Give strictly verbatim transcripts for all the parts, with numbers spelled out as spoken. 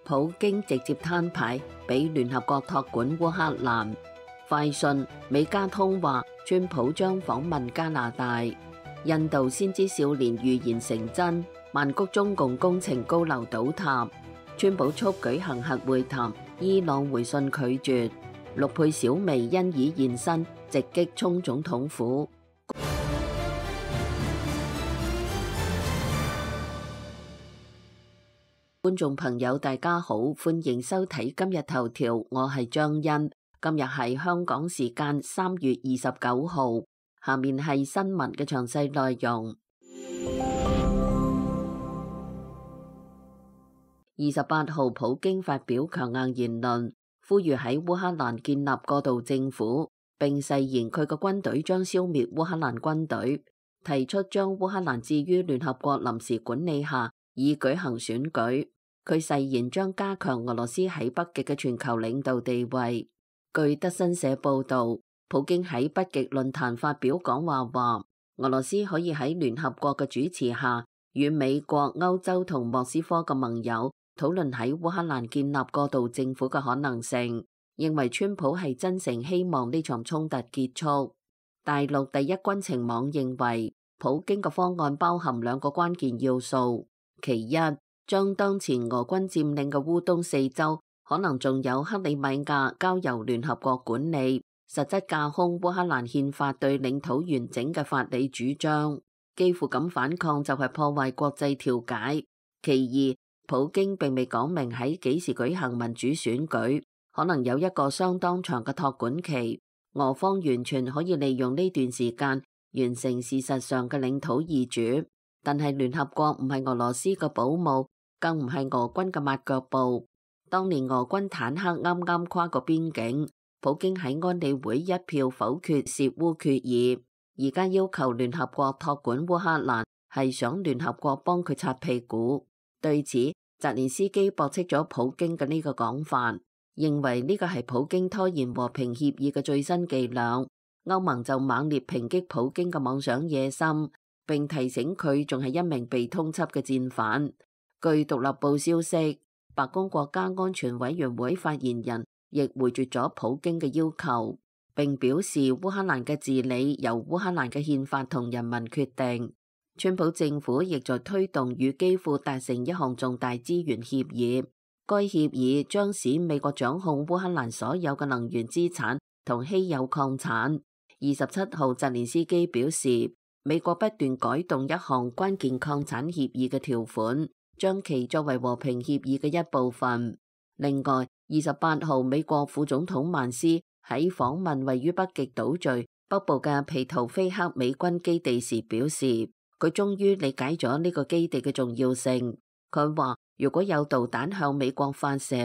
普京直接攤牌，俾聯合國託管烏克蘭。快訊美加通話，川普將訪問加拿大。印度先知少年預言成真，曼谷中共工程高樓倒塌。川普促舉行核會談，伊朗回信拒絕。陸配小薇因已現身，直擊衝總統府。觀眾朋友大家好，歡迎收睇今日頭條，我係張欣。今日係香港時間三月二十九號，下面係新聞嘅詳細內容。二十八號，普京發表強硬言論，呼籲喺烏克蘭建立過渡政府，並誓言佢嘅軍隊將消滅烏克蘭軍隊，提出將烏克蘭置於聯合國臨時管理下，以舉行選舉。佢誓言將加強俄羅斯喺北極嘅全球領導地位。據德新社報道，普京喺北極論壇發表講話話，俄羅斯可以喺聯合國嘅主持下，與美國、歐洲同莫斯科嘅盟友討論喺烏克蘭建立過渡政府嘅可能性，認為川普係真誠希望呢場衝突結束。大陸第一軍情網認為，普京嘅方案包含兩個關鍵要素，其一，將當前俄軍佔領嘅烏東四州，可能仲有克里米亞交由聯合國管理，實質架空烏克蘭憲法對領土完整嘅法理主張，幾乎咁反抗就係破壞國際調解。其二，普京並未講明喺幾時舉行民主選舉，可能有一個相當長嘅託管期，俄方完全可以利用呢段時間完成事實上嘅領土易主。但係聯合國唔係俄羅斯嘅保姆，更唔係俄軍嘅抹腳布。當年俄軍坦克啱啱跨過邊境，普京喺安理會一票否決涉烏決議，而家要求聯合國託管烏克蘭，係想聯合國幫佢擦屁股。對此，澤連斯基駁斥咗普京嘅呢個講法，認為呢個係普京拖延和平協議嘅最新伎倆。歐盟就猛烈抨擊普京嘅妄想野心，並提醒佢仲係一名被通緝嘅戰犯。據獨立報消息，白宮國家安全委員會發言人亦回絕咗普京嘅要求，並表示烏克蘭嘅治理由烏克蘭嘅憲法同人民決定。川普政府亦在推動與基輔達成一項重大資源協議，該協議將使美國掌控烏克蘭所有嘅能源資產同稀有礦產。二十七號，澤連斯基表示，美國不斷改動一項關鍵礦產協議嘅條款，將其作為和平協議嘅一部分。另外，二十八號，美國副總統曼斯喺訪問位於北極島嶼北部嘅皮圖菲克美軍基地時表示，佢終於理解咗呢個基地嘅重要性。佢話，如果有導彈向美國發射，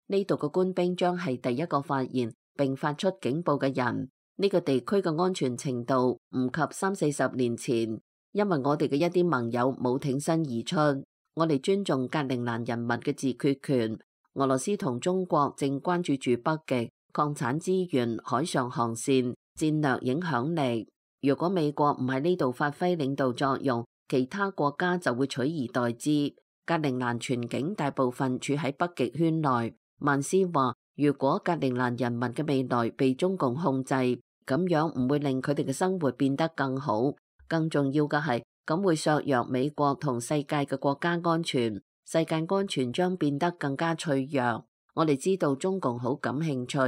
呢度嘅官兵將係第一個發現並發出警報嘅人。呢個地區嘅安全程度唔及三四十年前，因為我哋嘅一啲盟友冇挺身而出。我哋尊重格陵蘭人民嘅自決權。俄羅斯同中國正關注住北極礦產資源、海上航線、戰略影響力。如果美國唔喺呢度發揮領導作用，其他國家就會取而代之。格陵蘭全境大部分處喺北極圈內。曼斯話，如果格陵蘭人民嘅未來被中共控制，咁樣唔會令佢哋嘅生活變得更好。更重要嘅係，咁會削弱美國同世界嘅國家安全，世界安全將變得更加脆弱。我哋知道中共好感興趣，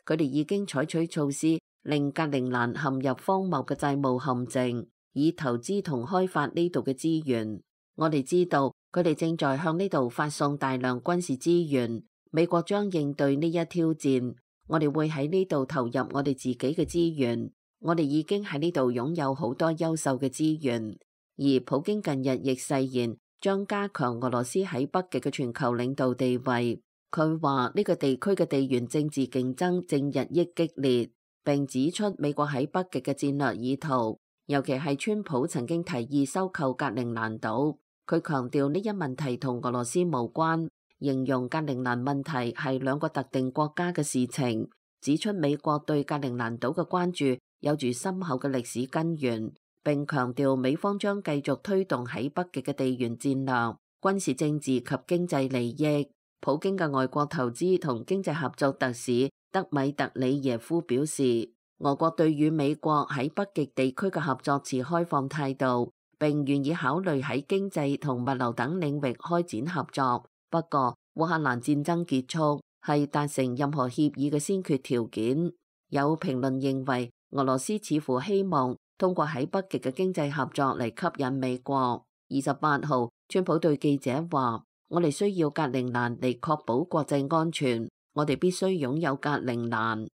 佢哋已經採取措施令格陵蘭陷入荒謬嘅債務陷阱，以投資同開發呢度嘅資源。我哋知道佢哋正在向呢度發送大量軍事資源，美國將應對呢一挑戰。我哋會喺呢度投入我哋自己嘅資源，我哋已經喺呢度擁有好多優秀嘅資源。而普京近日亦誓言將加強俄羅斯喺北極嘅全球領導地位。佢話呢個地區嘅地緣政治競爭正日益激烈，並指出美國喺北極嘅戰略意圖，尤其係川普曾經提議收購格陵蘭島。佢強調呢一問題同俄羅斯無關，形容格陵蘭問題係兩個特定國家嘅事情，指出美國對格陵蘭島嘅關注有住深厚嘅歷史根源，並強調美方將繼續推動喺北極嘅地緣戰略、軍事政治及經濟利益。普京嘅外國投資同經濟合作特使德米特里耶夫表示，俄國對與美國喺北極地區嘅合作持開放態度，並願意考慮喺經濟同物流等領域開展合作。不過，烏克蘭戰爭結束係達成任何協議嘅先決條件。有評論認為，俄羅斯似乎希望通過喺北極嘅經濟合作嚟吸引美國。二十八號，川普對記者話：我哋需要格陵蘭嚟確保國際安全，我哋必須擁有格陵蘭。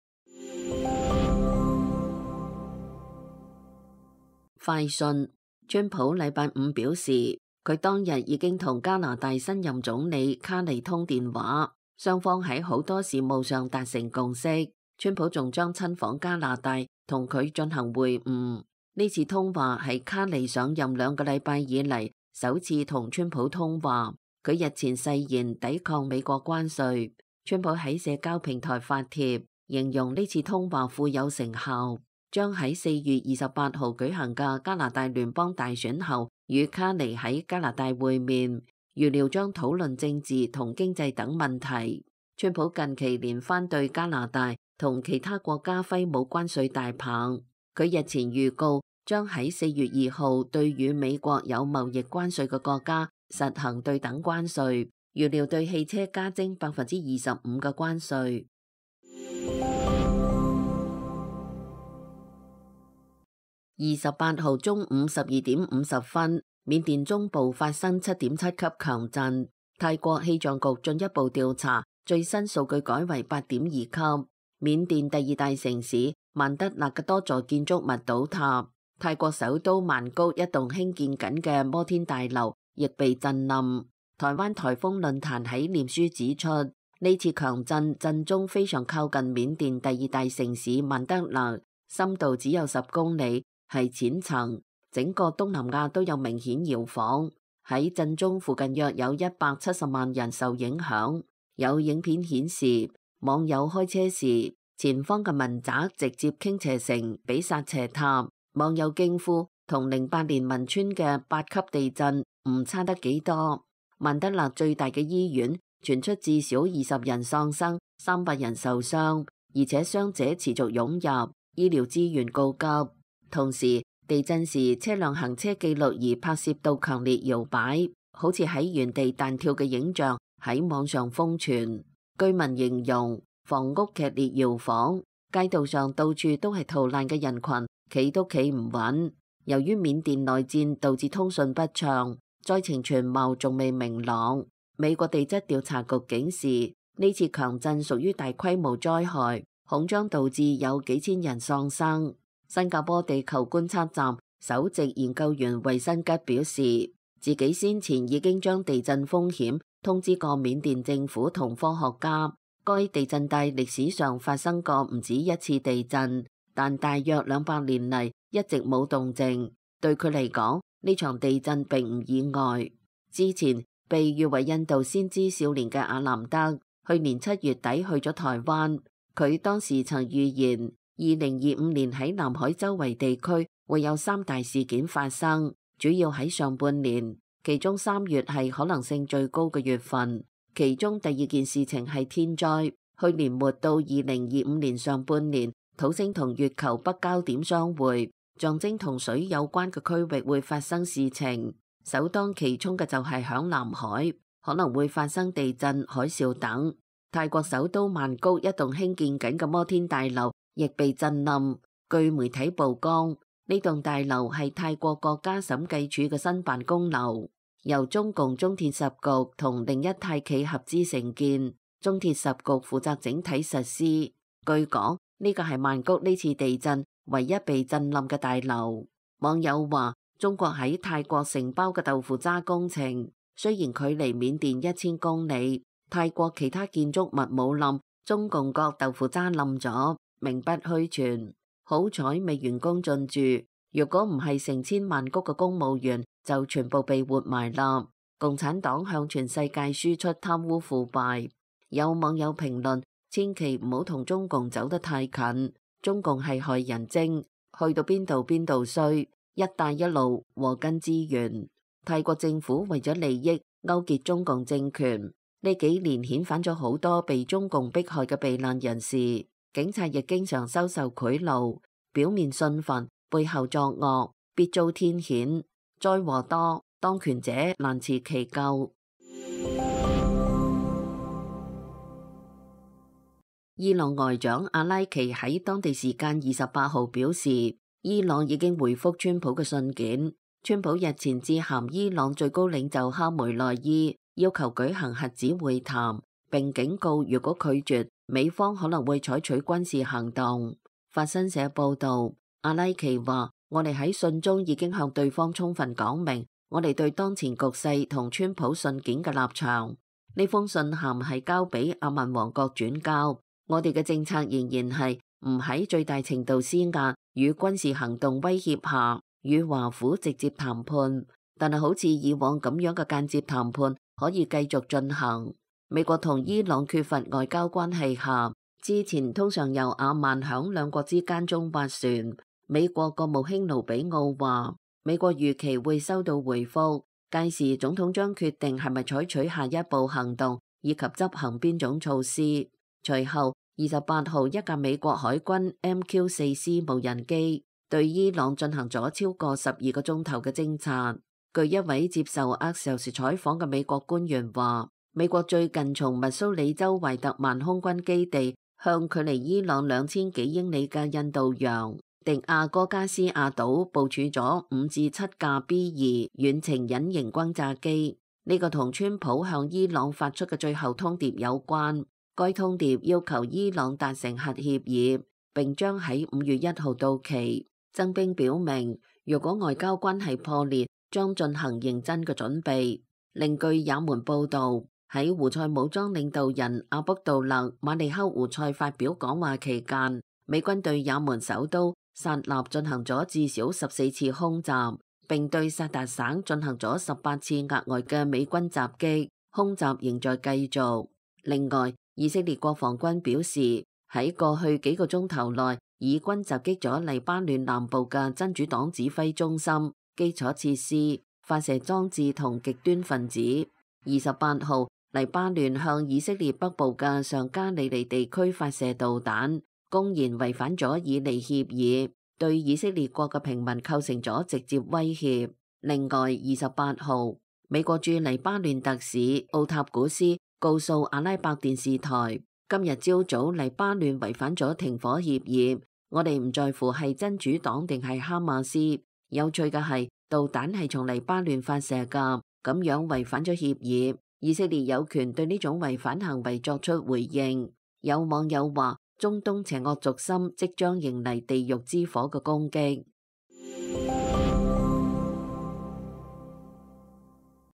快訊，川普禮拜五表示，佢當日已經同加拿大新任總理卡尼通電話，雙方喺好多事務上達成共識。川普仲將親訪加拿大，同佢進行會晤。呢次通話係卡尼上任兩個禮拜以嚟首次同川普通話。佢日前誓言抵抗美國關稅。川普喺社交平台發帖，形容呢次通話富有成效，將喺四月二十八號舉行嘅加拿大聯邦大選後與卡尼喺加拿大會面，預料將討論政治同經濟等問題。川普近期連番對加拿大同其他國家揮舞關稅大棒。佢日前預告將喺四月二號對與美國有貿易關稅嘅國家實行對等關稅，預料對汽車加徵百分之二十五嘅關稅。二十八號中午十二點五十分，緬甸中部發生七點七級強震。泰國氣象局進一步調查，最新數據改為八點二級。緬甸第二大城市曼德勒嘅多座建築物倒塌，泰國首都曼谷一棟興建緊嘅摩天大樓亦被震冧。台灣颱風論壇喺臉書指出，呢次強震震中非常靠近緬甸第二大城市曼德勒，深度只有十公里，係淺層，整個東南亞都有明顯搖晃。喺震中附近約有一百七十萬人受影響。有影片顯示，網友開車時，前方嘅民宅直接傾斜成比薩斜塔。網友驚呼，同零八年汶川嘅八級地震唔差得幾多。曼德勒最大嘅醫院傳出至少二十人喪生，三百人受傷，而且傷者持續湧入，醫療資源告急。同時，地震時車輛行車記錄儀拍攝到強烈搖擺，好似喺原地彈跳嘅影像喺網上瘋傳。居民形容房屋劇烈搖晃，街道上到處都係逃難嘅人群，企都企唔穩。由於緬甸內戰導致通訊不暢，災情全貌仲未明朗。美國地質調查局警示，呢次強震屬於大規模災害，恐將導致有幾千人喪生。新加坡地球觀測站首席研究員衛新吉表示，自己先前已經將地震風險通知過緬甸政府同科學家。該地震帶歷史上發生過唔止一次地震，但大約兩百年嚟一直冇動靜。對佢嚟講，呢場地震並唔意外。之前被譽為印度先知少年嘅阿南德，去年七月底去咗台灣。佢當時曾預言，二零二五年喺南海周圍地區會有三大事件發生，主要喺上半年，其中三月係可能性最高嘅月份。其中第二件事情係天災，去年末到二零二五年上半年，土星同月球北交點相會，象徵同水有關嘅區域會發生事情。首當其衝嘅就係響南海，可能會發生地震、海嘯等。泰國首都曼谷一棟興建緊嘅摩天大樓亦被震冧。據媒體曝光，呢棟大樓係泰國國家審計署嘅新辦公樓，由中共中鐵十局同另一泰企合資承建，中鐵十局負責整體實施。據講，呢個係曼谷呢次地震唯一被震冧嘅大樓。網友話，中國喺泰國承包嘅豆腐渣工程，雖然距離緬甸一千公里，泰國其他建築物冇冧，中共國豆腐渣冧咗，名不虛傳。好彩未完工進駐，如果唔係成千萬谷嘅公務員就全部被活埋啦。共產黨向全世界輸出貪污腐敗。有網友評論，千祈唔好同中共走得太近，中共係害人精，去到邊度邊度衰。一帶一路禍根資源，泰國政府為咗利益勾結中共政權，呢幾年遣返咗好多被中共迫害嘅避難人士，警察亦經常收受賄賂，表面信佛，背後作惡，必遭天譴。災禍多，當權者難辭其咎。伊朗外長阿拉奇喺當地時間二十八號表示，伊朗已經回覆川普嘅信件。川普日前致函伊朗最高領袖哈梅內伊，要求舉行核子會談，並警告如果拒絕，美方可能會採取軍事行動。法新社報道，阿拉奇話：我哋喺信中已經向對方充分講明我哋對當前局勢同川普信件嘅立場。呢封信函係交俾阿曼王國轉交。我哋嘅政策仍然係唔喺最大程度施壓與軍事行動威脅下與華府直接談判，但係好似以往咁樣嘅間接談判可以繼續進行。美國同伊朗缺乏外交關係下，之前通常由阿曼響兩國之間中斡旋。美國國務卿盧比奧話，美國預期會收到回覆，屆時總統將決定係咪採取下一步行動以及執行邊種措施。隨後，二十八號一架美國海軍 M Q 四 C 無人機對伊朗進行咗超過十二個鐘頭嘅偵察。據一位接受 Axios 採訪嘅美國官員話，美國最近從密蘇里州懷特曼空軍基地向距離伊朗兩千幾英里嘅印度洋迪亞哥加斯亞島部署咗五至七架 B 二遠程隱形轟炸機。呢、這個同川普向伊朗發出嘅最後通牒有關。該通牒要求伊朗達成核協議，並將喺五月一號到期。增兵表明，如果外交關係破裂，將進行認真嘅準備。另據也門報導，喺胡塞武裝領導人阿卜杜勒馬利克胡塞發表講話期間，美軍對也門首都薩納進行咗至少十四次空襲，並對薩達省進行咗十八次額外嘅美軍襲擊，空襲仍在繼續。另外，以色列國防軍表示，喺過去幾個鐘頭內，以軍襲擊咗黎巴嫩南部嘅真主黨指揮中心、基礎設施、發射裝置同極端分子。二十八號，黎巴嫩向以色列北部嘅上加利利地區發射導彈，公然違反咗以利協議，對以色列國嘅平民構成咗直接威脅。另外，二十八號，美國駐黎巴嫩特使奧塔古斯告訴阿拉伯電視台，今日朝早黎巴嫩違反咗停火協議，我哋唔在乎係真主黨定係哈馬斯。有趣嘅係，導彈係從黎巴嫩發射噶，咁樣違反咗協議，以色列有權對呢種違反行為作出回應。有網友話，中東邪惡軸心即將迎嚟地獄之火嘅攻擊。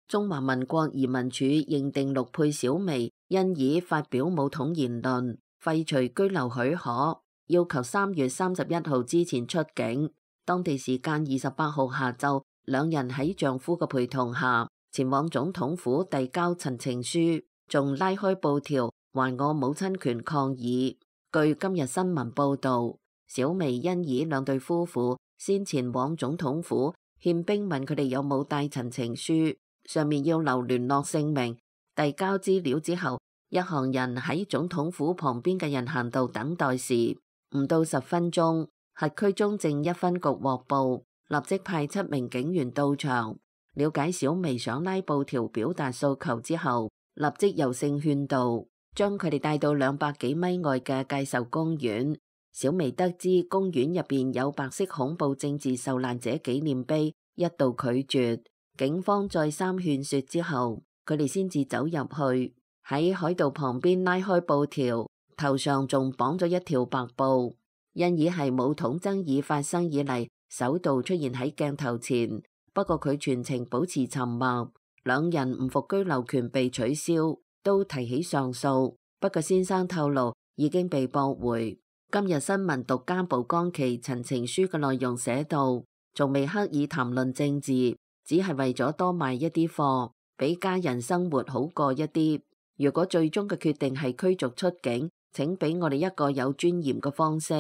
中華民國移民署認定陸配小薇因以發表武統言論，廢除居留許可，要求三月三十一號之前出境。當地時間二十八號下晝，兩人喺丈夫嘅陪同下前往總統府遞交陳情書，仲拉開布條還我母親權抗議。據今日新聞報道，小薇因以兩對夫婦先前往總統府憲兵問佢哋有冇帶陳情書，上面要留聯絡姓名，遞交資料之後，一行人喺總統府旁邊嘅人行道等待時，唔到十分鐘，轄區中正一分局獲報，立即派七名警員到場，了解小薇想拉布條表達訴求之後，立即柔性勸導，將佢哋帶到兩百幾米外嘅介壽公園。小薇得知公園入邊有白色恐怖政治受難者紀念碑，一度拒絕。警方再三勸說之後，佢哋先至走入去，喺海道旁邊拉開布條，頭上仲綁咗一條白布。因而係武統爭議發生以嚟首度出現喺鏡頭前，不過佢全程保持沉默。兩人唔服居留權被取消，都提起上訴，不過先生透露已經被駁回。今日新聞獨家曝光其陳情書嘅內容，寫到仲未刻意談論政治，只係為咗多賣一啲貨，俾家人生活好過一啲。如果最終嘅決定係驅逐出境，請俾我哋一個有尊嚴嘅方式，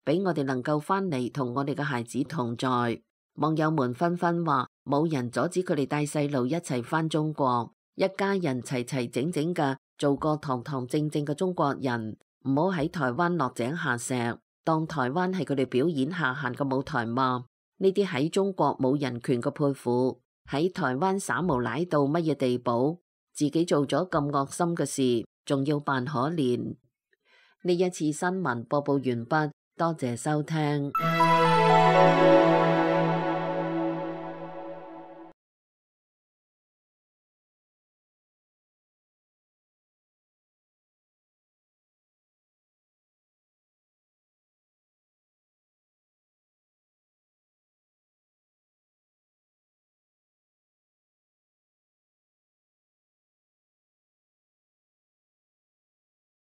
俾我哋能夠翻嚟同我哋嘅孩子同在。網友們紛紛話冇人阻止佢哋帶細路一齊翻中國，一家人齊齊整整嘅做個堂堂正正嘅中國人，唔好喺台灣落井下石，當台灣係佢哋表演下限嘅舞台嘛。呢啲喺中國冇人權嘅潑婦，喺台灣耍無賴到乜嘢地步？自己做咗咁惡心嘅事，仲要扮可憐。呢一次新聞播報完畢，多謝收聽。